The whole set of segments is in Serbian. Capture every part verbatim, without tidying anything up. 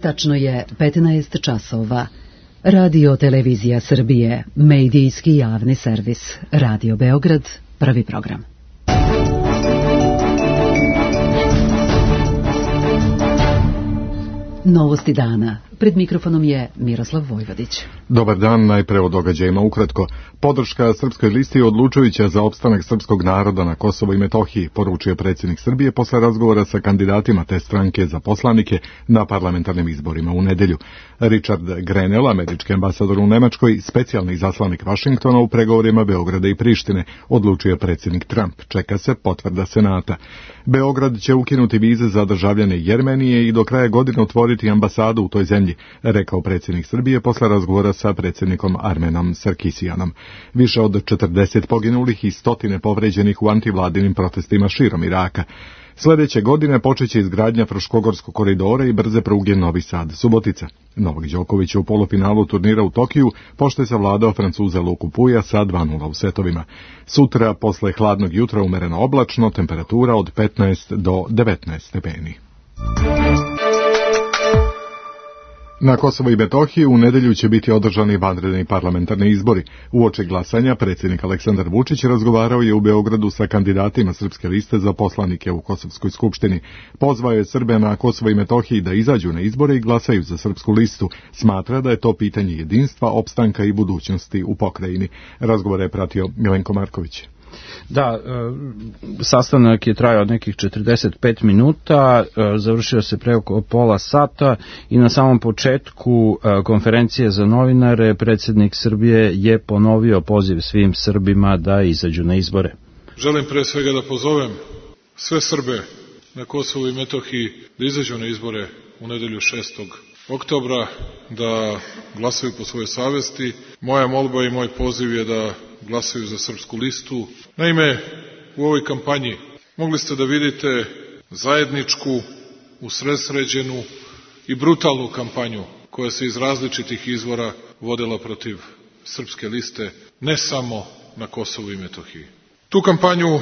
Tačno je petnaest časova. Radio Televizija Srbije, medijski javni servis. Radio Beograd, prvi program. Novosti dana. Pred mikrofonom je Miroslav Vojvodić. Dobar dan, najpre o događajima ukratko. Podrška Srpskoj listi je odlučujuća za opstanak srpskog naroda na Kosovo i Metohiji, poručio predsjednik Srbije posle razgovora sa kandidatima te stranke za poslanike na parlamentarnim izborima u nedelju. Richard Grenell, američki ambasador u Nemačkoj, specijalni izaslanik Vašingtona u pregovorima Beograda i Prištine, odlučio predsjednik Trump. Čeka se potvrda Senata. Beograd će ukinuti vize za državljane Jermenije i do kraja godine otvoriti ambasadu u toj zemlji, rekao predsjednik Srbije posle razgovora sa predsjednikom Armenom Sarkisijanom. Više od četrdeset poginulih i stotine povređenih u antivladinim protestima širom Iraka. Sljedeće godine počeće izgradnja Fruškogorskog koridora i brze pruge Novi Sad-Subotica. Novak Đoković je u polufinalu turnira u Tokiju, pošto je savladao Francuza Luku Puja sa dva nula u setovima. Sutra, posle hladnog jutra, umereno oblačno, temperatura od petnaest do devetnaest stepeni. Na Kosovo i Metohiji u nedelju će biti održani vanredni parlamentarni izbori. Uoči glasanja predsjednik Aleksandar Vučić razgovarao je u Beogradu sa kandidatima Srpske liste za poslanike u Kosovskoj skupštini. Pozvao je Srbe na Kosovo i Metohiji da izađu na izbore i glasaju za Srpsku listu. Smatra da je to pitanje jedinstva, opstanka i budućnosti u pokrajini. Razgovor je pratio Milenko Marković. Da, sastanak je trajao nekih četrdeset pet minuta, završio se pre oko pola sata i na samom početku konferencije za novinare predsjednik Srbije je ponovio poziv svim Srbima da izađu na izbore. Želim pre svega da pozovem sve Srbe na Kosovu i Metohiji da izađu na izbore u nedelju šestog oktobra, da glasaju po svojoj savesti. Moja molba i moj poziv je da glasaju za Srpsku listu. Naime, u ovoj kampanji mogli ste da vidite zajedničku, usredsređenu i brutalnu kampanju koja se iz različitih izvora vodila protiv Srpske liste, ne samo na Kosovu i Metohiji. Tu kampanju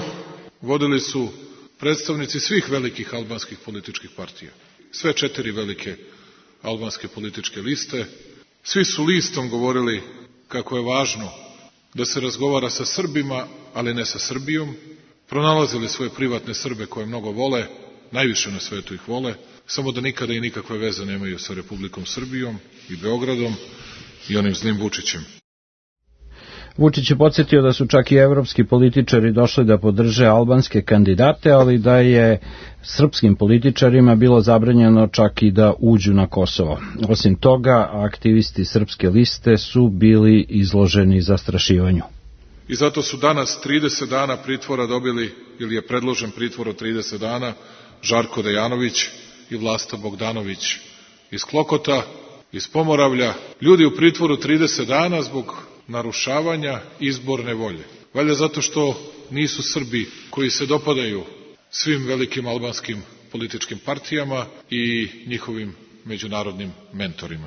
vodili su predstavnici svih velikih albanskih političkih partija. Sve četiri velike albanske političke liste. Svi su listom govorili kako je važno da se razgovara sa Srbima, ali ne sa Srbijom. Pronalazili svoje privatne Srbe koje mnogo vole, najviše na svetu ih vole, samo da nikada i nikakve veze nemaju sa Republikom Srbijom i Beogradom i onim zlim Vučićem. Vučić je podsjetio da su čak i evropski političari došli da podrže albanske kandidate, ali da je srpskim političarima bilo zabranjeno čak i da uđu na Kosovo. Osim toga, aktivisti Srpske liste su bili izloženi zastrašivanju. I zato su danas trideset dana pritvora dobili, ili je predložen pritvor od trideset dana, Žarko Dejanović i Vlasta Bogdanović iz Klokota, iz Pomoravlja. Ljudi u pritvoru trideset dana zbog narušavanja izborne volje. Valjda zato što nisu Srbi koji se dopadaju svim velikim albanskim političkim partijama i njihovim međunarodnim mentorima.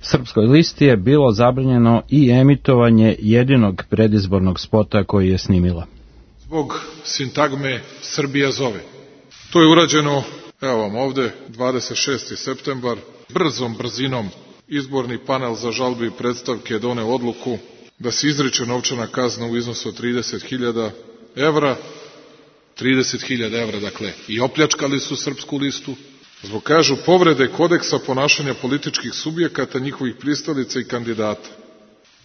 Srpskoj listi je bilo zabranjeno i emitovanje jedinog predizbornog spota koji je snimila. Zbog sintagme Srbija zove. To je urađeno, evo vam ovde, dvadeset šesti septembar, brzom brzinom. Izborni panel za žalbe i predstavke je doneo odluku da se izriče novčana kazna u iznosu od trideset hiljada evra, trideset hiljada evra, dakle, i opljačkali su Srpsku listu, zbog, kažu, povrede kodeksa ponašanja političkih subjekata, njihovih pristalica i kandidata.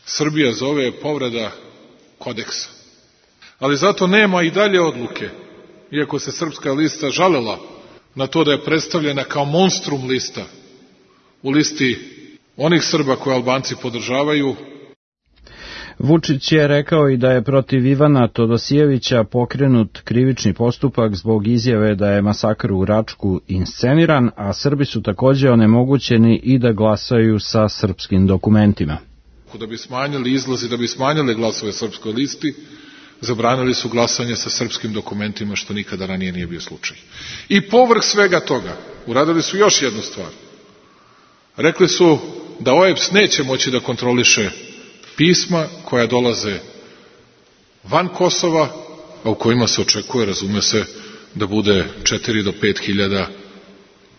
Srbija zove je povreda kodeksa. Ali zato nema i dalje odluke, iako se Srpska lista žalela na to da je predstavljena kao monstrum lista u listi onih Srba koje Albanci podržavaju. Vučić je rekao i da je protiv Ivana Todosijevića pokrenut krivični postupak zbog izjave da je masakr u Račku insceniran, a Srbi su također onemogućeni i da glasaju sa srpskim dokumentima. Da bi smanjili izlazi, da bi smanjili glasove Srpskoj listi, zabranili su glasanje sa srpskim dokumentima, što nikada ranije nije bio slučaj. I povrh svega toga uradili su još jednu stvar. Rekli su da O E B S neće moći da kontroliše pisma koja dolaze van Kosova, a u kojima se očekuje, razume se, da bude četiri do pet hiljada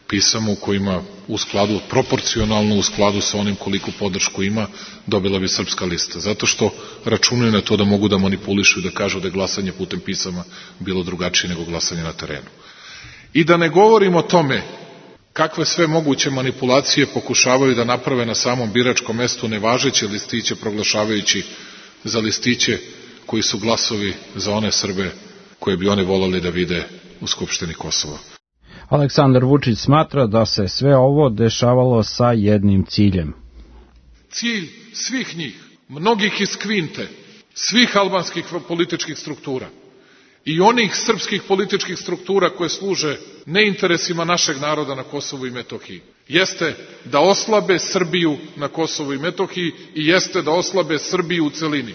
pisama u kojima u skladu, proporcionalno u skladu sa onim koliko podršku ima, dobila bi Srpska lista. Zato što računaju na to da mogu da manipulišu i da kažu da je glasanje putem pisama bilo drugačije nego glasanje na terenu. I da ne govorim o tome kakve sve moguće manipulacije pokušavaju da naprave na samom biračkom mestu nevažeće listiće proglašavajući za listiće koji su glasovi za one Srbe koje bi one volali da vide u Skupštini Kosova. Aleksandar Vučić smatra da se sve ovo dešavalo sa jednim ciljem. Cilj svih njih, mnogih iz Kvinte, svih albanskih političkih struktura i onih srpskih političkih struktura koje služe neinteresima našeg naroda na Kosovu i Metohiji, jeste da oslabe Srbiju na Kosovu i Metohiji i jeste da oslabe Srbiju u celini.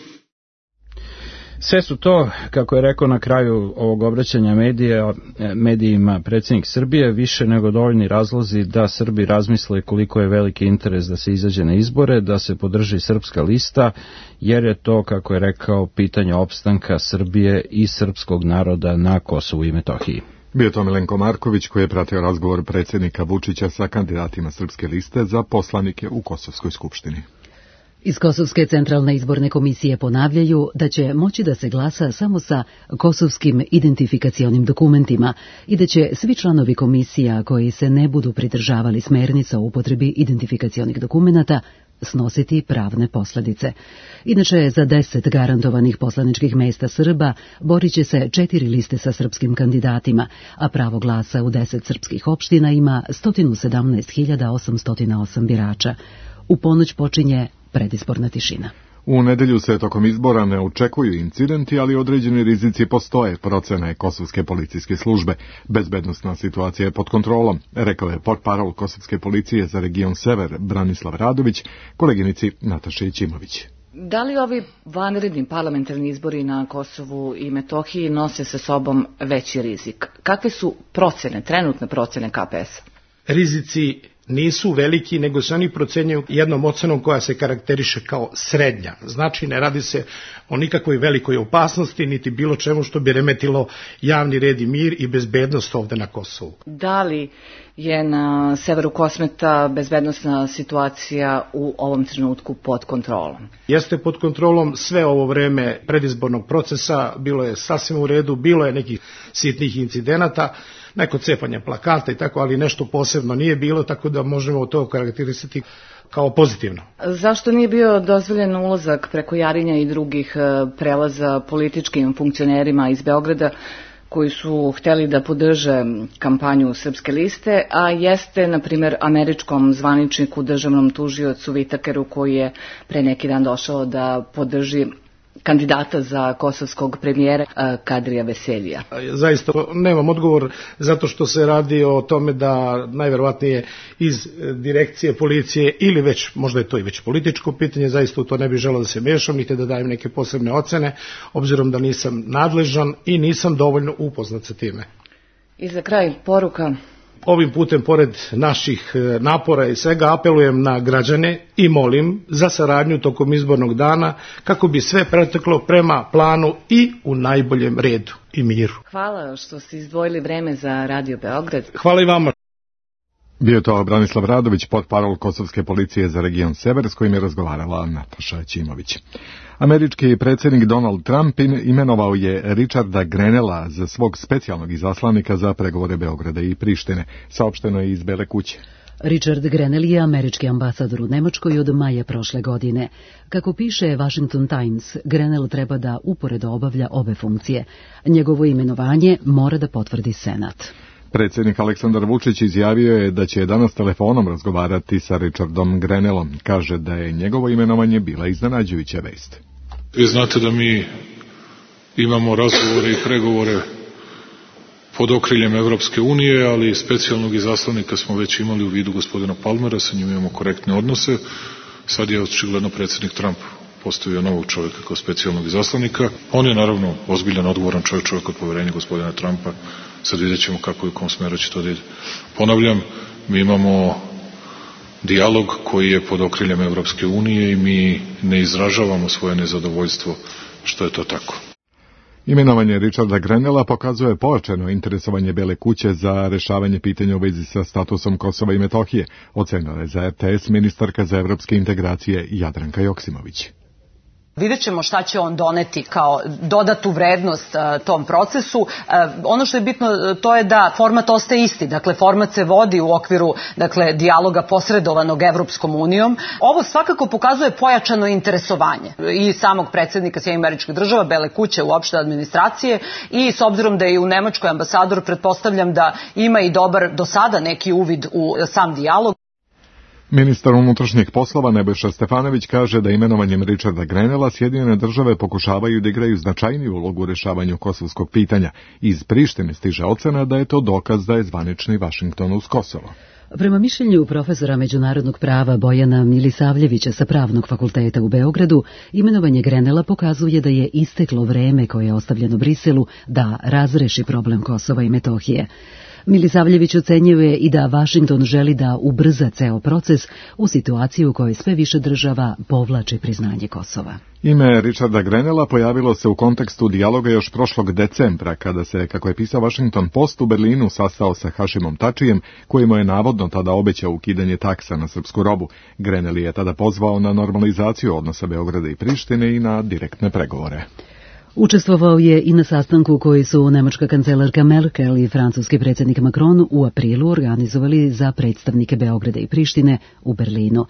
Sve su to, kako je rekao na kraju ovog obraćanja medija, medijima predsjednik Srbije, više nego dovoljni razlozi da Srbi razmisle koliko je veliki interes da se izađe na izbore, da se podrži Srpska lista, jer je to, kako je rekao, pitanje opstanka Srbije i srpskog naroda na Kosovu i Metohiji. Bio to Milenko Marković koji je pratio razgovor predsjednika Vučića sa kandidatima Srpske liste za poslanike u Kosovskoj skupštini. Iz Kosovske centralne izborne komisije ponavljaju da će moći da se glasa samo sa kosovskim identifikacionim dokumentima i da će svi članovi komisija koji se ne budu pridržavali smernica o upotrebi identifikacionih dokumenata snositi pravne posljedice. Inače, za deset garantovanih poslaničkih mesta Srba borit će se četiri liste sa srpskim kandidatima, a pravo glasa u deset srpskih opština ima sto sedamnaest hiljada osamsto osam birača. U ponoć počinje predizborna tišina. U nedelju se tokom izbora ne očekuju incidenti, ali određeni rizici postoje, procene Kosovske policijske službe. Bezbednosna situacija je pod kontrolom, rekao je portparol Kosovske policije za region Sever Branislav Radović, koleginici Nataši Ćimović. Da li ovi vanredni parlamentarni izbori na Kosovu i Metohiji nose sa sobom veći rizik? Kakve su procene, trenutne procene K P S-a? Rizici nisu veliki, nego se oni procenjuju jednom ocenom koja se karakteriše kao srednja. Znači, ne radi se o nikakvoj velikoj opasnosti, niti bilo čemu što bi remetilo javni red i mir i bezbednost ovde na Kosovu. Da li je na severu Kosmeta bezbednosna situacija u ovom trenutku pod kontrolom? Jeste pod kontrolom sve ovo vreme predizbornog procesa, bilo je sasvim u redu, bilo je nekih sitnih incidenata, neko cepanje plakata i tako, ali nešto posebno nije bilo, tako da možemo to karakterisati kao pozitivno. Zašto nije bio dozvoljen ulazak preko Jarinja i drugih prelaza političkim funkcionerima iz Beograda koji su hteli da podrže kampanju Srpske liste, a jeste, na primjer, američkom zvaničniku, državnom tužiocu Vitakeru, koji je pre neki dan došao da podrži kandidata za kosovskog premijera Kadrija Veseljija? Zaista nemam odgovor, zato što se radi o tome da najverovatnije iz direkcije policije ili već, možda je to i već političko pitanje, zaista u to ne bih želeo da se mešam, niti da dajem neke posebne ocene, obzirom da nisam nadležan i nisam dovoljno upoznat sa time. I za kraj poruka. Ovim putem, pored naših napora i svega, apelujem na građane i molim za saradnju tokom izbornog dana kako bi sve preteklo prema planu i u najboljem redu i miru. Hvala što ste izdvojili vreme za Radio Beograd. Hvala i vama. Bio to Branislav Radović, portparol Kosovske policije za region Sever, s kojim je razgovarala Nataša Ćimović. Američki predsjednik Donald Trump imenovao je Richarda Grenella za svog specijalnog izaslanika za pregovore Beograda i Prištine, saopšteno je iz Bele kuće. Richard Grenell je američki ambasador u Nemačkoj od maja prošle godine. Kako piše Washington Times, Grenell treba da uporedo obavlja obe funkcije. Njegovo imenovanje mora da potvrdi Senat. Predsjednik Aleksandar Vučić izjavio je da će danas telefonom razgovarati sa Richardom Grenellom. Kaže da je njegovo imenovanje bila iznenađujuća vest. Vi znate da mi imamo razgovore i pregovore pod okriljem Evropske unije, ali specijalnog izaslanika smo već imali u vidu gospodina Palmera, sa njim imamo korektne odnose. Sad je očigledno predsjednik Trump postavio novog čovjeka kao specijalnog izaslanika. On je naravno ozbiljan, odgovoran čovjek, čovjek od poverenja gospodina Trumpa. Sad vidjet ćemo kako i u kom smeru će to da ide. Ponavljam, mi imamo dijalog koji je pod okriljem Evropske unije i mi ne izražavamo svoje nezadovoljstvo što je to tako. Imenovanje Richarda Grenella pokazuje pojačano interesovanje Bele kuće za rešavanje pitanja u vezi sa statusom Kosova i Metohije, ocenila je za R T S ministarka za evropske integracije Jadranka Joksimović. Vidjet ćemo šta će on doneti kao dodatu vrednost uh, tom procesu. Uh, ono što je bitno to je da format ostaje isti. Dakle, format se vodi u okviru dakle, dijaloga posredovanog Evropskom unijom. Ovo svakako pokazuje pojačano interesovanje i samog predsjednika Sjedinjenih Američkih Država, Bele kuće, uopšte administracije i s obzirom da je u Nemačkoj ambasador, pretpostavljam da ima i dobar do sada neki uvid u sam dijalog. Ministar unutrašnjih poslova Nebojša Stefanović kaže da imenovanjem Richarda Grenella Sjedinjene države pokušavaju da igraju značajniju ulogu u rešavanju kosovskog pitanja. Iz Prištine stiže ocena da je to dokaz da je zvanični Vašington uz Kosovo. Prema mišljenju profesora međunarodnog prava Bojana Milisavljevića sa Pravnog fakulteta u Beogradu, imenovanje Grenella pokazuje da je isteklo vreme koje je ostavljeno Briselu da razreši problem Kosova i Metohije. Milisavljević ocenjuje i da Vašington želi da ubrza ceo proces u situaciji u kojoj sve više država povlači priznanje Kosova. Ime Richarda Grenella pojavilo se u kontekstu dijaloga još prošlog decembra, kada se, kako je pisao Washington Post, u Berlinu sastao sa Hašimom Tačijem, koji mu je navodno tada obećao ukidanje taksa na srpsku robu. Grenell je tada pozvao na normalizaciju odnosa Beograda i Prištine i na direktne pregovore. Učestvovao je i na sastanku koji su nemačka kancelarka Merkel i francuski predsjednik Macron u aprilu organizovali za predstavnike Beograda i Prištine u Berlinu.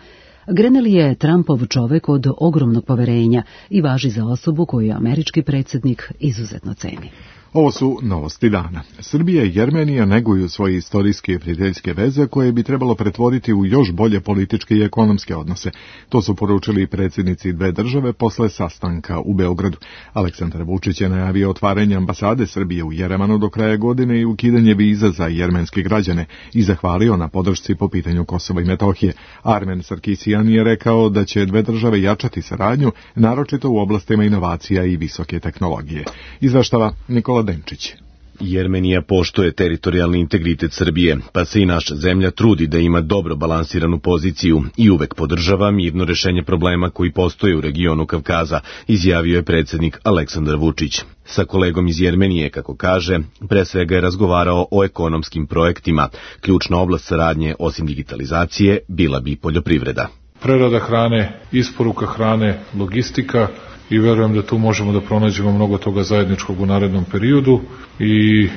Grenell je Trumpov čovek od ogromnog poverenja i važi za osobu koju američki predsjednik izuzetno ceni. Ovo su novosti dana. Srbija i Jermenija neguju svoje istorijske i prijateljske veze koje bi trebalo pretvoriti u još bolje političke i ekonomske odnose. To su poručili predsjednici dve države posle sastanka u Beogradu. Aleksandar Vučić je najavio otvaranje ambasade Srbije u Jerevanu do kraja godine i ukidanje viza za jermenske građane i zahvalio na podršci po pitanju Kosova i Metohije. Armen Sarkisian je rekao da će dve države jačati saradnju, naročito u oblastima inovacija i visoke tehnologije. Izveštava Nikola Denčić. Jermenija poštuje teritorijalni integritet Srbije, pa se i naša zemlja trudi da ima dobro balansiranu poziciju i uvek podržava mirno rešenje problema koji postoje u regionu Kavkaza, izjavio je predsjednik Aleksandar Vučić. Sa kolegom iz Jermenije, kako kaže, pre svega je razgovarao o ekonomskim projektima. Ključna oblast saradnje, osim digitalizacije, bila bi poljoprivreda. Prerada hrane, isporuka hrane, logistika, i verujem da tu možemo da pronađemo mnogo toga zajedničkog u narednom periodu i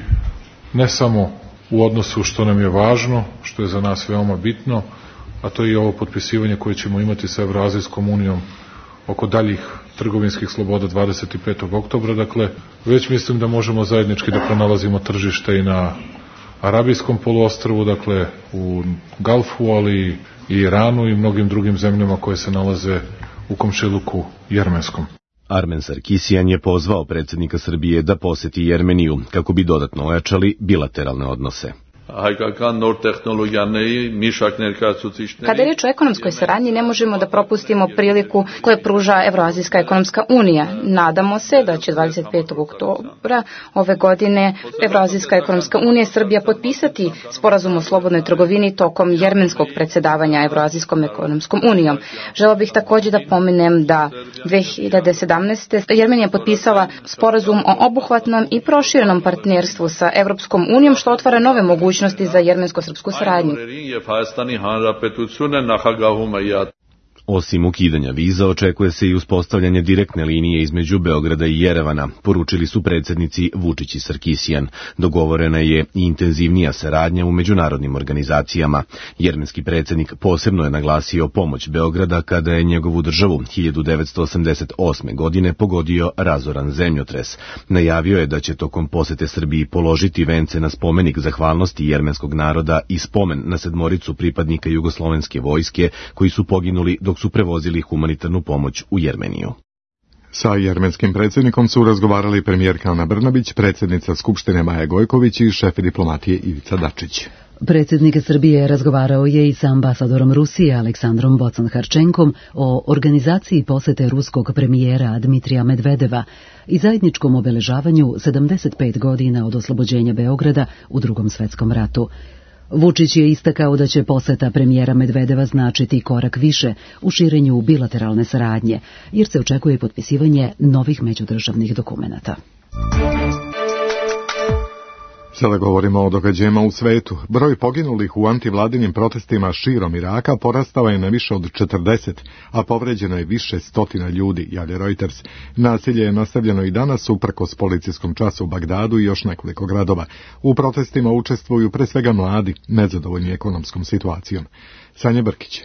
ne samo u odnosu što nam je važno, što je za nas veoma bitno, a to je i ovo potpisivanje koje ćemo imati sa Evroazijskom unijom oko daljih trgovinskih sloboda dvadeset petog oktobra, dakle, već mislim da možemo zajednički da pronalazimo tržište i na Arabijskom poluostrvu, dakle, u Galfu, ali i Iranu i mnogim drugim zemljama koje se nalaze u komšiluku jermenskom. Armen Sarkisian je pozvao predsjednika Srbije da poseti Jermeniju kako bi dodatno ojačali bilateralne odnose. Kada je riječ o ekonomskoj saradnji, ne možemo da propustimo priliku koju pruža Evroazijska ekonomska unija. Nadamo se da će dvadeset petog oktobra ove godine Evroazijska ekonomska unija i Srbija potpisati sporazum o slobodnoj trgovini tokom jermenskog predsjedavanja Evroazijskom ekonomskom unijom. Žela bih također da pomenem da dve hiljade sedamnaeste. Jermenija potpisala sporazum o obuhvatnom i proširenom partnerstvu sa Evropskom unijom, što otvara nove mogućnosti za jermensko-srpsku saradnju. Osim ukidanja viza, očekuje se i uspostavljanje direktne linije između Beograda i Jerevana, poručili su predsjednici Vučić i Sarkisian. Dogovorena je i intenzivnija saradnja u međunarodnim organizacijama. Jermenski predsjednik posebno je naglasio pomoć Beograda kada je njegovu državu hiljadu devetsto osamdeset osme. godine pogodio razoran zemljotres. Najavio je da će tokom posete Srbiji položiti vence na spomenik zahvalnosti jermenskog naroda i spomen na sedmoricu pripadnika jugoslovenske vojske koji su poginuli dok su prevozili humanitarnu pomoć u Jermeniju. Sa jermenskim predsjednikom su razgovarali premijerka Ana Brnabić, predsjednica Skupštine Maja Gojković i šef diplomatije Ivica Dačić. Predsjednik Srbije razgovarao je i sa ambasadorom Rusije Aleksandrom Bocan-Harčenkom o organizaciji posete ruskog premijera Dmitrija Medvedeva i zajedničkom obeležavanju sedamdeset pet godina od oslobođenja Beograda u Drugom svetskom ratu. Vučić je istakao da će poseta premijera Medvedeva značiti korak više u širenju bilateralne saradnje, jer se očekuje potpisivanje novih međudržavnih dokumenata. Sada govorimo o događajima u svetu. Broj poginulih u antivladinim protestima širom Iraka porastao je na više od četrdeset, a povređeno je više stotina ljudi, javlja Reuters. Nasilje je nastavljeno i danas uprkos policijskom času u Bagdadu i još nekoliko gradova. U protestima učestvuju pre svega mladi, nezadovoljni ekonomskom situacijom. Sanja Brkić.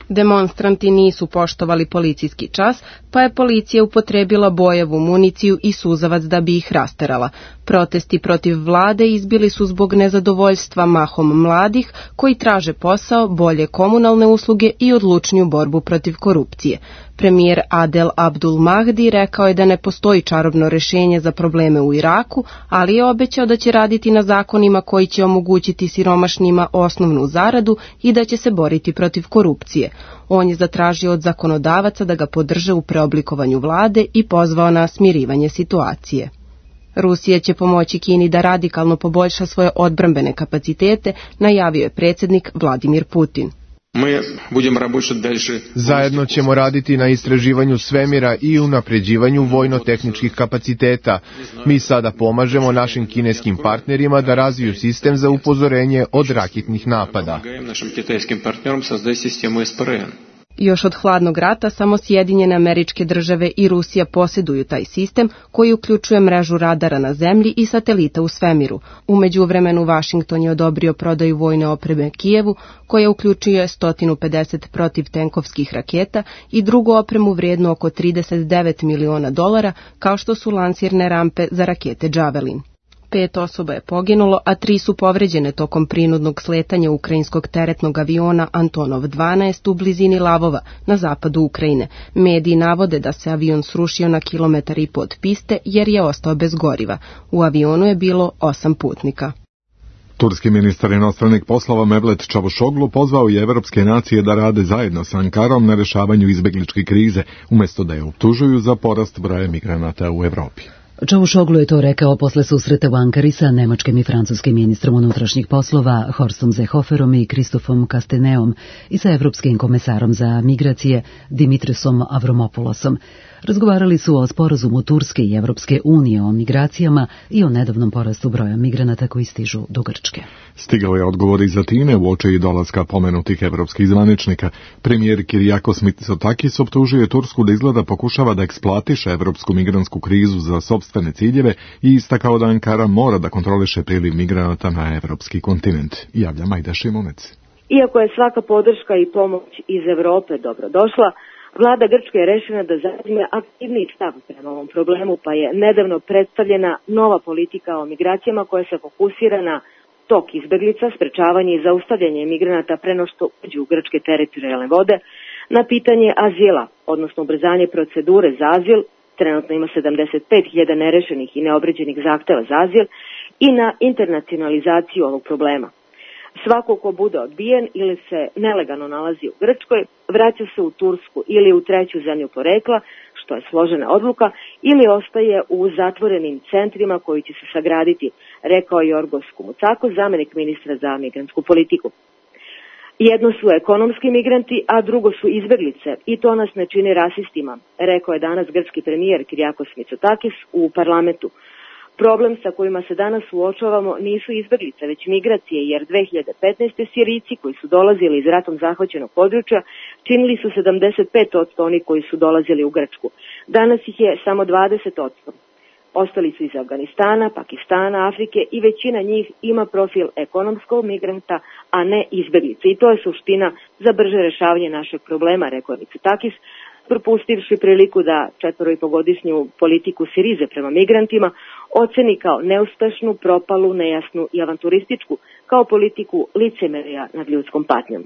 Demonstranti nisu poštovali policijski čas, pa je policija upotrebila bojevu municiju i suzavac da bi ih rasterala. Protesti protiv vlade izbili su zbog nezadovoljstva mahom mladih koji traže posao, bolje komunalne usluge i odlučniju borbu protiv korupcije. Premijer Adel Abdul Mahdi rekao je da ne postoji čarobno rešenje za probleme u Iraku, ali je obećao da će raditi na zakonima koji će omogućiti siromašnima osnovnu zaradu i da će se boriti protiv korupcije. On je zatražio od zakonodavaca da ga podrže u preoblikovanju vlade i pozvao na smirivanje situacije. Rusija će pomoći Kini da radikalno poboljša svoje odbrambene kapacitete, najavio je predsjednik Vladimir Putin. Zajedno ćemo raditi na istraživanju svemira i unapređivanju vojno-tehničkih kapaciteta. Mi sada pomažemo našim kineskim partnerima da razviju sistem za upozorenje od raketnih napada. Još od hladnog rata samo Sjedinjene Američke Države i Rusija posjeduju taj sistem koji uključuje mrežu radara na zemlji i satelita u svemiru. U međuvremenu Vašington je odobrio prodaju vojne opreme Kijevu, koja uključuje sto pedeset protivtenkovskih raketa i drugu opremu vrijednu oko trideset devet miliona dolara, kao što su lansirne rampe za rakete Javelin. Pet osoba je poginulo, a tri su povređene tokom prinudnog sletanja ukrajinskog teretnog aviona Antonov dvanaest u blizini Lavova, na zapadu Ukrajine. Mediji navode da se avion srušio na kilometar i po od piste jer je ostao bez goriva. U avionu je bilo osam putnika. Turski ministar inostranih poslova Mevlet Čavuşoglu pozvao je evropske nacije da rade zajedno sa Ankarom na rešavanju izbegličke krize, umjesto da je optužuju za porast broja migranata u Evropi. Čavuşoglu je to rekao posle susreta u Ankari sa nemačkim i francuskim ministrom unutrašnjih poslova Horstom Seehoferom i Kristofom Kasteneom i sa evropskim komesarom za migracije Dimitrisom Avramopoulosom. Razgovarali su o sporazumu Turske i Evropske unije o migracijama i o nedavnom porastu broja migranata koji stižu do Grčke. Stigao je odgovor iz Atine u oči dolaska pomenutih evropskih zvaničnika. Premijer Kyriakos Mitsotakis optužio je Tursku da izgleda pokušava da eksploatiše evropsku migrantsku krizu za sopstvene ciljeve i istakao da Ankara mora da kontroliše priliv migranata na evropski kontinent. Javlja Majda Šimunec. Iako je svaka podrška i pomoć iz Evrope dobrodošla, Vlada Grčke je rešena da zauzme aktivniji stav prema ovom problemu, pa je nedavno predstavljena nova politika o migracijama koja se fokusira na tok izbeglica, sprečavanje i zaustavljanje migranata pre no što uđu u grčke teritorijalne vode, na pitanje azila, odnosno ubrzanje procedure za azil, trenutno ima sedamdeset pet hiljada nerešenih i neobrađenih zahteva za azil, i na internacionalizaciju ovog problema. Svako ko bude odbijen ili se nelegalno nalazi u Grčkoj, vraća se u Tursku ili u treću zemlju porekla, što je složena odluka, ili ostaje u zatvorenim centrima koji će se sagraditi, rekao je Jorgos Koumoutsakos, zamenik ministra za migrantsku politiku. Jedno su ekonomski migranti, a drugo su izbeglice, i to nas ne čini rasistima, rekao je danas grčki premijer Kyriakos Mitsotakis u parlamentu. Problem sa kojima se danas suočavamo nisu izbeglice, već migracije, jer dve hiljade petnaeste. Sirijci koji su dolazili iz ratom zahvaćenog područja činili su sedamdeset pet posto oni koji su dolazili u Grčku. Danas ih je samo dvadeset posto. Ostali su iz Afganistana, Pakistana, Afrike i većina njih ima profil ekonomskog migranta, a ne izbeglice. I to je suština za brže rešavanje našeg problema, rekao je Mitsotakis, propustivši priliku da četvoripogodišnju politiku Sirize prema migrantima oceni kao neuspešnu, propalu, nejasnu i avanturističku, kao politiku licemerja nad ljudskom patnjom.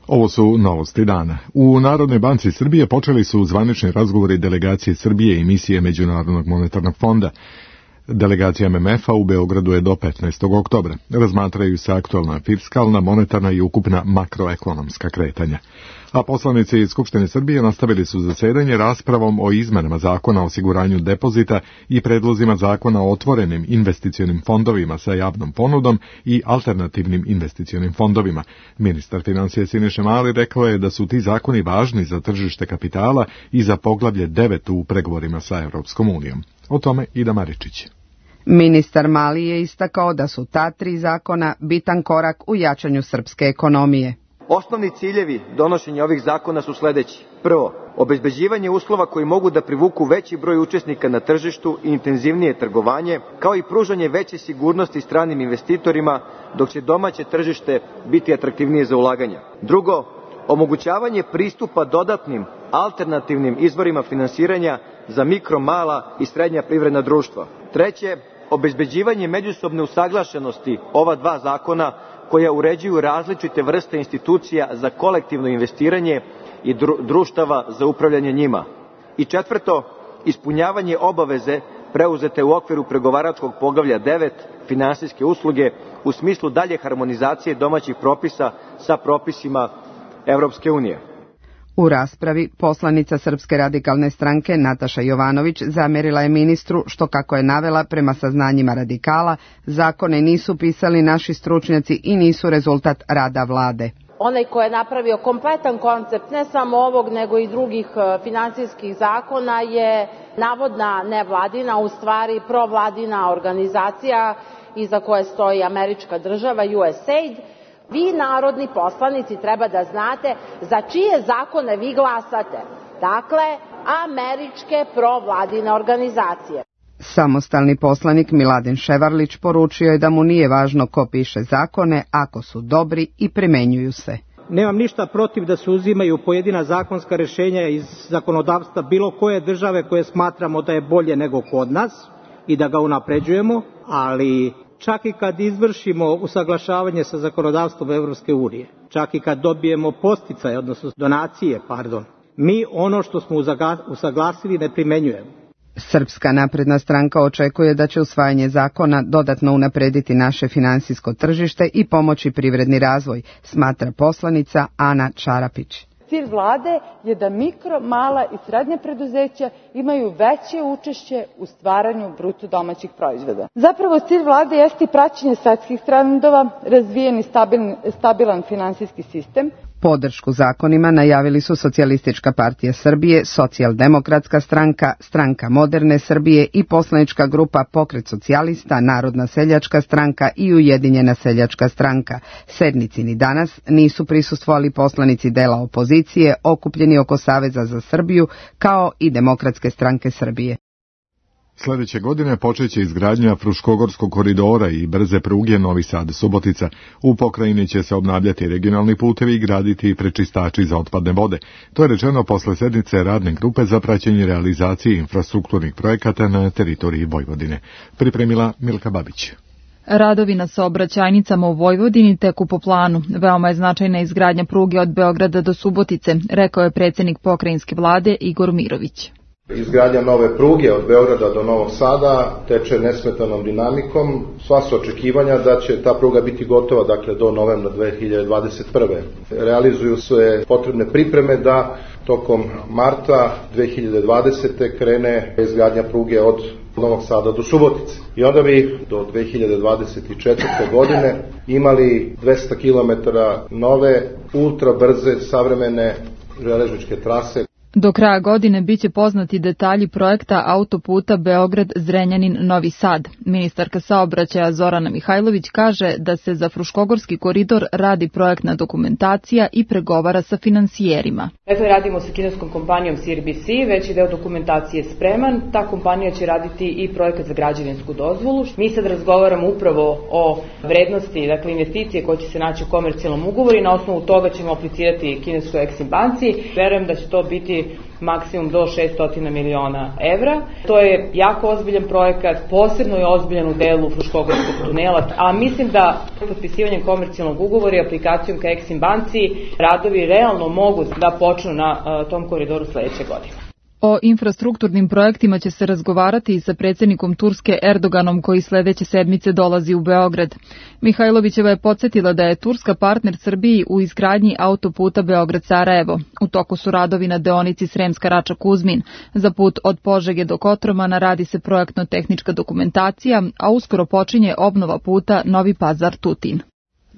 Ovo su novosti dana. U Narodnoj banci Srbije počeli su zvanični razgovori delegacije Srbije i misije Međunarodnog monetarnog fonda. Delegacija M M F-a u Beogradu je do petnaestog oktobra. Razmatraju se aktualna fiskalna, monetarna i ukupna makroekonomska kretanja. A poslanici iz Skupštine Srbije nastavili su zasedanje raspravom o izmenama zakona o osiguranju depozita i predlozima zakona o otvorenim investicionim fondovima sa javnom ponudom i alternativnim investicionim fondovima. Ministar financija Siniša Mali rekao je da su ti zakoni važni za tržište kapitala i za poglavlje devet u pregovorima sa Evropskom unijom. O tome Ida Maričić. Ministar Mali je istakao da su ta tri zakona bitan korak u jačanju srpske ekonomije. Osnovni ciljevi donošenja ovih zakona su sledeći. Prvo, obezbeđivanje uslova koji mogu da privuku veći broj učesnika na tržištu i intenzivnije trgovanje, kao i pružanje veće sigurnosti stranim investitorima, dok će domaće tržište biti atraktivnije za ulaganja. Drugo, omogućavanje pristupa dodatnim alternativnim izvorima finansiranja za mikro, mala i srednja privredna društva. Treće, obezbeđivanje međusobne usaglašenosti ova dva zakona koja uređuju različite vrste institucija za kolektivno investiranje i društava za upravljanje njima. I četvrto, ispunjavanje obaveze preuzete u okviru pregovaračkog poglavlja devet, finansijske usluge, u smislu dalje harmonizacije domaćih propisa sa propisima Evropske unije. U raspravi poslanica Srpske radikalne stranke Nataša Jovanović zamerila je ministru što, kako je navela prema saznanjima radikala, zakone nisu pisali naši stručnjaci i nisu rezultat rada vlade. Onaj ko je napravio kompletan koncept ne samo ovog nego i drugih finansijskih zakona je navodna nevladina, u stvari provladina organizacija iza koje stoji američka država U S A I D. Vi, narodni poslanici, treba da znate za čije zakone vi glasate. Dakle, američke provladine organizacije. Samostalni poslanik Miladin Ševarlić poručio je da mu nije važno ko piše zakone ako su dobri i primenjuju se. Nemam ništa protiv da se uzimaju pojedina zakonska rešenja iz zakonodavstva bilo koje države koje smatramo da je bolje nego kod nas i da ga unapređujemo, ali čak i kad izvršimo usaglašavanje sa zakonodavstvom Evropske unije, čak i kad dobijemo podsticaje, odnosno donacije, pardon, mi ono što smo usaglasili ne primenjujemo. Srpska napredna stranka očekuje da će usvajanje zakona dodatno unaprediti naše finansijsko tržište i pomoći privredni razvoj, smatra poslanica Ana Čarapić. Cilj vlade je da mikro, mala i srednja preduzeća imaju veće učešće u stvaranju bruto domaćih proizvoda. Zapravo cilj vlade jeste praćenje svetskih trendova, razvijeni stabilan, stabilan finansijski sistem. Podršku zakonima najavili su Socijalistička partija Srbije, Socijaldemokratska stranka, Stranka moderne Srbije i poslanička grupa Pokret socijalista, Narodna seljačka stranka i Ujedinjena seljačka stranka. Sednici ni danas nisu prisustvovali poslanici dela opozicije okupljeni oko Saveza za Srbiju kao i Demokratske stranke Srbije. Sljedeće godine počeće izgradnja Fruškogorskog koridora i brze pruge Novi Sad-Subotica. U pokrajini će se obnavljati regionalni putevi i graditi prečistači za otpadne vode. To je rečeno posle sednice radne grupe za praćenje realizacije infrastrukturnih projekata na teritoriji Vojvodine. Pripremila Milka Babić. Radovi na saobraćajnicama u Vojvodini teku po planu. Veoma je značajna izgradnja pruge od Beograda do Subotice, rekao je predsjednik pokrajinske vlade Igor Mirović. Izgradnja nove pruge od Beograda do Novog Sada teče nesmetanom dinamikom. Sva su očekivanja da će ta pruga biti gotova, dakle, do novembra dve hiljade dvadeset prve. Realizuju se potrebne pripreme da tokom marta dve hiljade dvadesete krene izgradnja pruge od Novog Sada do Subotice. I onda bi do dve hiljade dvadeset četvrte. godine imali dvesta kilometara nove, ultra brze, savremene železničke trase. Do kraja godine biće poznati detalji projekta autoputa Beograd-Zrenjanin-Novi Sad. Ministarka saobraćaja Zorana Mihajlović kaže da se za Fruškogorski koridor radi projektna dokumentacija i pregovara sa finansijerima. Dakle, radimo sa kineskom kompanijom C R B C, veći deo dokumentacije je spreman. Ta kompanija će raditi i projekat za građevinsku dozvolu. Mi sad razgovaramo upravo o vrednosti, dakle investicije koje će se naći u komercijalnom ugovoru i na osnovu toga ćemo aplicirati kineskoj Exim banci. Verujem da će to biti maksimum do šessto miliona evra. To je jako ozbiljan projekat, posebno je ozbiljan u delu Fruškogorskog tunela, a mislim da potpisivanjem komercijalnog ugovora i aplikacijom ka Exim banci radovi realno mogu da počnu na uh, tom koridoru sledeće godine. O infrastrukturnim projektima će se razgovarati i sa predsjednikom Turske Erdoganom koji sledeće sedmice dolazi u Beograd. Mihajlovićeva je podsjetila da je Turska partner Srbiji u izgradnji autoputa Beograd-Sarajevo. U toku su radovi na deonici Sremska Rača-Kuzmin. Za put od Požege do Kotromana radi se projektno-tehnička dokumentacija, a uskoro počinje obnova puta Novi Pazar-Tutin.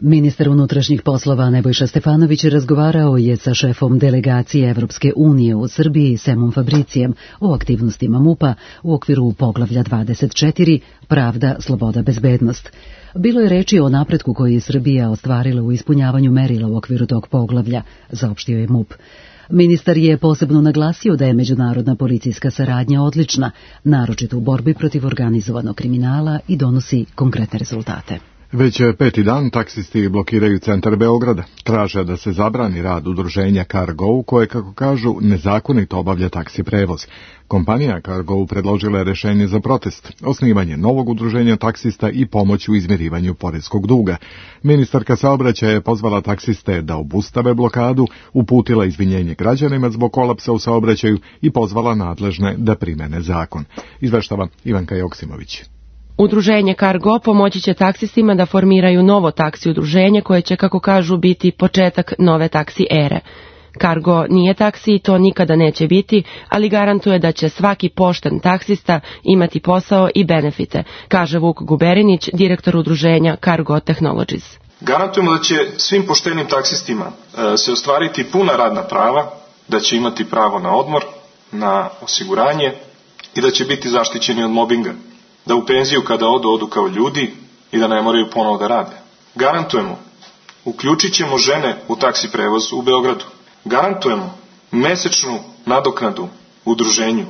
Ministar unutrašnjih poslova Nebojša Stefanović razgovarao je sa šefom delegacije Evropske unije u Srbiji Semom Fabricijem o aktivnostima MUP-a u okviru poglavlja dvadeset četiri Pravda, sloboda, bezbednost. Bilo je reči o napretku koji je Srbija ostvarila u ispunjavanju merila u okviru tog poglavlja, saopštio je MUP. Ministar je posebno naglasio da je međunarodna policijska saradnja odlična, naročito u borbi protiv organizovanog kriminala i donosi konkretne rezultate. Već peti dan taksisti blokiraju centar Beograda. Traže da se zabrani rad udruženja Cargo, koje, kako kažu, nezakonito obavlja taksi prevoz. Kompanija Cargo predložila je rešenje za protest, osnivanje novog udruženja taksista i pomoć u izmirivanju poreskog duga. Ministarka saobraćaja je pozvala taksiste da obustave blokadu, uputila izvinjenje građanima zbog kolapsa u saobraćaju i pozvala nadležne da primene zakon. Izveštava Ivanka Joksimović. Udruženje Cargo pomoći će taksistima da formiraju novo taksi udruženje koje će, kako kažu, biti početak nove taksi ere. Cargo nije taksi i to nikada neće biti, ali garantuje da će svaki pošten taksista imati posao i benefite, kaže Vuk Guberinić, direktor udruženja Cargo Technologies. Garantujemo da će svim poštenim taksistima se ostvariti puna radna prava, da će imati pravo na odmor, na osiguranje i da će biti zaštićeni od mobinga. Da u penziju kada odu, odu kao ljudi i da ne moraju ponovo da rade. Garantujemo, uključit ćemo žene u taksi prevoz u Beogradu. Garantujemo mesečnu nadoknadu udruženju,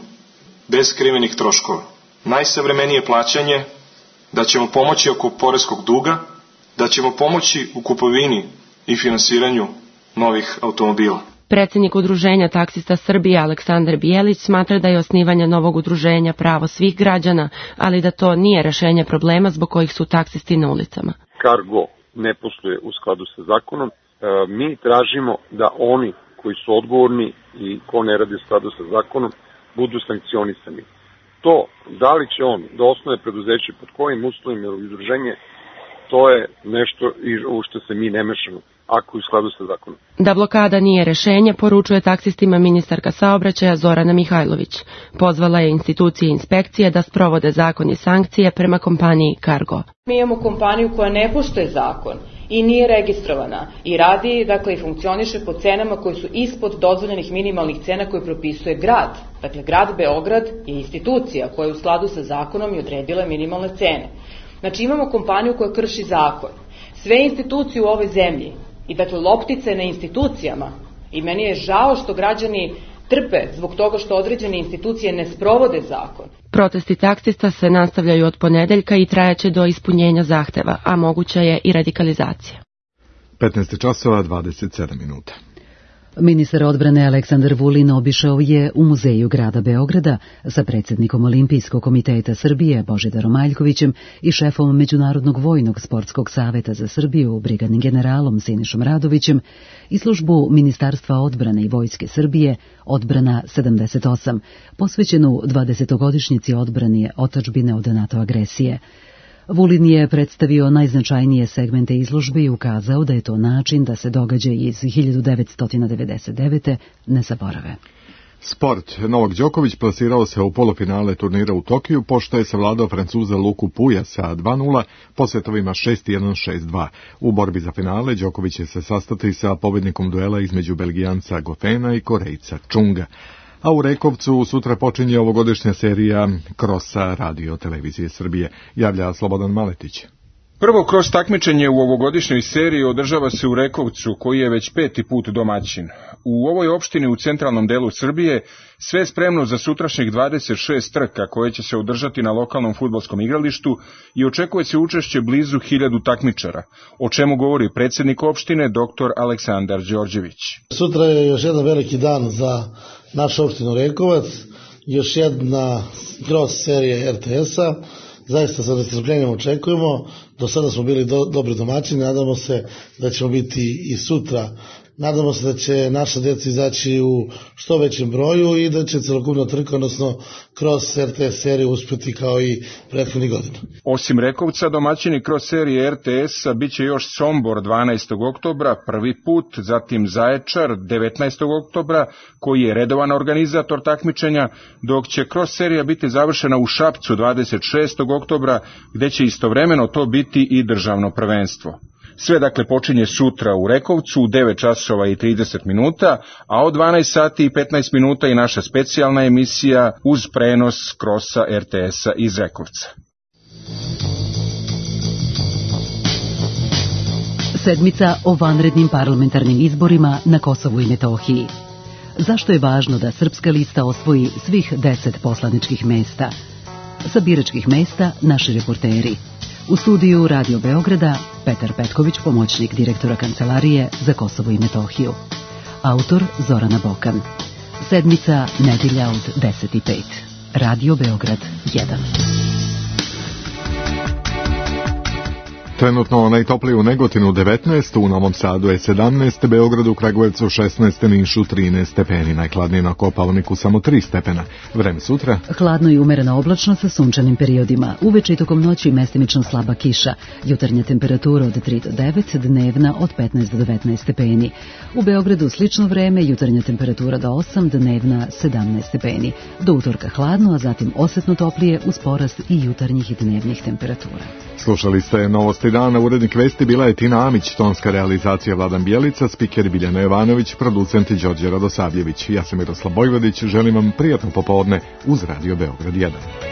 bez skrivenih troškova. Najsavremenije plaćanje, da ćemo pomoći oko poreskog duga, da ćemo pomoći u kupovini i finansiranju novih automobila. Predsjednik udruženja taksista Srbije Aleksandar Bijelić smatra da je osnivanje novog udruženja pravo svih građana, ali da to nije rešenje problema zbog kojih su taksisti na ulicama. Cargo ne posluje u skladu sa zakonom. E, mi tražimo da oni koji su odgovorni i ko ne radi u skladu sa zakonom budu sankcionisani. To, da li će on da osnuje preduzeće pod kojim uslovima ili udruženje, to je nešto u što se mi ne mešamo, ako je u skladu sa zakonom. Da blokada nije rešenje, poručuje taksistima ministarka saobraćaja Zorana Mihajlović. Pozvala je institucije i inspekcije da sprovode zakon i sankcije prema kompaniji Cargo. Mi imamo kompaniju koja ne poštuje zakon i nije registrovana i radi, dakle, i funkcioniše po cenama koje su ispod dozvoljenih minimalnih cena koje propisuje grad. Dakle, grad Beograd je institucija koja je u skladu sa zakonom i odredila minimalne cene. Znači, imamo kompaniju koja krši zakon. Sve institucije u ovoj zemlji i, dakle, loptice na institucijama, i meni je žao što građani trpe zbog toga što određene institucije ne sprovode zakon. Protesti taksista se nastavljaju od ponedeljka i trajaće do ispunjenja zahteva, a moguća je i radikalizacija. petnaest časova dvadeset sedam minuta. Ministar odbrane Aleksandar Vulin obišao je u muzeju grada Beograda sa predsjednikom Olimpijskog komiteta Srbije Božidarom Aljkovićem i šefom Međunarodnog vojnog sportskog saveta za Srbiju brigadnim generalom Sinišom Radovićem i službu Ministarstva odbrane i Vojske Srbije Odbrana sedamdeset osam, posvećenu dvadesetogodišnjici odbrane otadžbine od NATO agresije. Vulin je predstavio najznačajnije segmente izložbe i ukazao da je to način da se događaji iz hiljadu devetsto devedeset devete ne zaborave. Sport. Novak Đoković plasirao se u polufinale turnira u Tokiju, pošto je savladao Francuza Luku Puja sa dva nula po setovima šest jedan šest dva. U borbi za finale Đoković će se sastati sa pobednikom duela između Belgijanca Gofena i Korejca Čunga. A u Rekovcu sutra počinje ovogodišnja serija krosa Radio Televizije Srbije, javlja Slobodan Maletić. Prvo kros takmičenje u ovogodišnjoj seriji održava se u Rekovcu, koji je već peti put domaćin. U ovoj opštini u centralnom delu Srbije sve je spremno za sutrašnjih dvadeset šest trka koje će se održati na lokalnom fudbalskom igralištu i očekuje se učešće blizu hiljadu takmičara, o čemu govori predsjednik opštine doktor Aleksandar Đorđević. Sutra je još jedan veliki dan za našu opštinu Rekovac, još jedna cross serija er te es-a. Zaista sa nestrpljenjem očekujemo, do sada smo bili do, dobri domaćini, nadamo se da ćemo biti i sutra. Nadamo se da će naša djeca izaći u što većem broju i da će celokupna trka, odnosno kroz er te es seriju uspjeti kao i prethodnih godina. Osim Rekovca, domaćini kroz serije er te es-a bit će još Sombor dvanaestog oktobra, prvi put, zatim Zaječar devetnaestog oktobra, koji je redovan organizator takmičenja, dok će kroz serija biti završena u Šapcu dvadeset šestog oktobra, gde će istovremeno to biti i državno prvenstvo. Sve dakle počinje sutra u Rekovcu u devet časova i trideset minuta, a od dvanaest sati i petnaest minuta i naša specijalna emisija uz prenos krosa er te esa iz Rekovca. Sedmica o vanrednim parlamentarnim izborima na Kosovu i Metohiji. Zašto je važno da Srpska lista osvoji svih deset poslaničkih mesta? Sa biračkih mesta naši reporteri. U studiju Radio Beograda Petar Petković, pomoćnik direktora Kancelarije za Kosovo i Metohiju. Autor Zorana Bokan. Sedmica, nedjelja od deset i pet. Radio Beograd jedan. Trenutno najtoplije u Negotinu devetnaest, u Novom Sadu je sedamnaest, Beogradu, Kragujevcu šesnaest, Nišu trinaest stepeni, najhladnije na Kopaoniku samo tri stepena. Vreme sutra? Hladno i umereno oblačno sa sunčanim periodima. Uveče i tokom noći mestimično slaba kiša. Jutarnja temperatura od tri do devet, dnevna od petnaest do devetnaest stepeni. U Beogradu slično vreme, jutarnja temperatura do osam, dnevna sedamnaest stepeni. Do utorka hladno, a zatim osetno toplije uz porast i jutarnjih i dnevnih temperatura. Slušali ste Novosti dana, urednik vesti bila je Tina Amić, tonska realizacija Vladan Bjelica, spiker Biljana Jovanović, producent Đorđe Radosavljević. Ja sam Miroslav Bojvodić, želim vam prijatno popodne uz Radio Beograd jedan.